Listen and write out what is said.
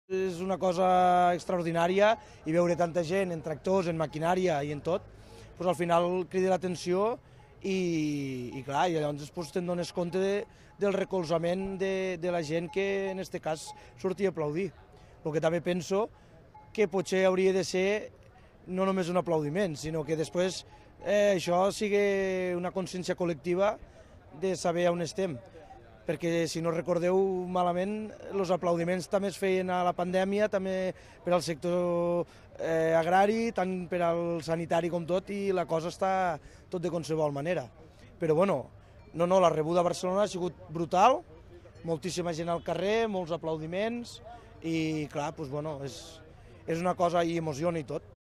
És una cosa extraordinària i veure tanta gent en tractors, en maquinària i en tot, doncs al final crida l'atenció i clar, i llavors després te'n dones compte del recolzament de la gent que en aquest cas sortia a aplaudir. El que també penso que potser hauria de ser no només un aplaudiment, sinó que després això sigui una consciència col·lectiva de saber on estem. Perquè si no recordeu malament, els aplaudiments també es feien a la pandèmia, també per al sector agrari, tant per al sanitari com tot, i la cosa està tot de qualsevol manera. Però bueno, la rebuda a Barcelona ha sigut brutal, moltíssima gent al carrer, molts aplaudiments, i clar, doncs, bueno, és una cosa i emociona i tot.